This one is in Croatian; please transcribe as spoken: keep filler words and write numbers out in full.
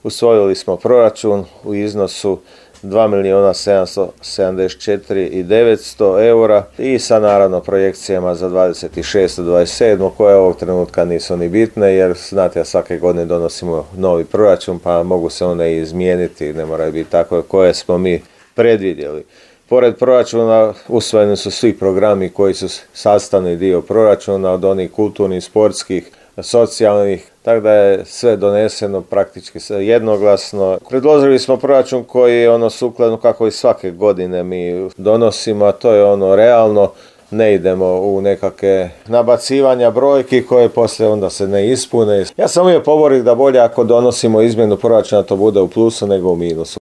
usvojili smo proračun u iznosu dva milijuna sedamsto sedamdeset četiri tisuće devetsto eura i sa naravno projekcijama za dvadeset šest do dvadeset sedam koje ovog trenutka nisu ni bitne jer znate da svake godine donosimo novi proračun pa mogu se one i izmijeniti, ne moraju biti takve koje smo mi predvidjeli. Pored proračuna usvojeni su svi programi koji su sastavni dio proračuna, od onih kulturnih, sportskih, socijalnih, tako da je sve doneseno praktički jednoglasno. Predložili smo proračun koji je ono sukladno kako i svake godine mi donosimo, a to je ono realno, ne idemo u nekakve nabacivanja brojki koje poslije onda se ne ispune. Ja sam uvijek poborik da bolje ako donosimo izmjenu proračuna to bude u plusu nego u minusu.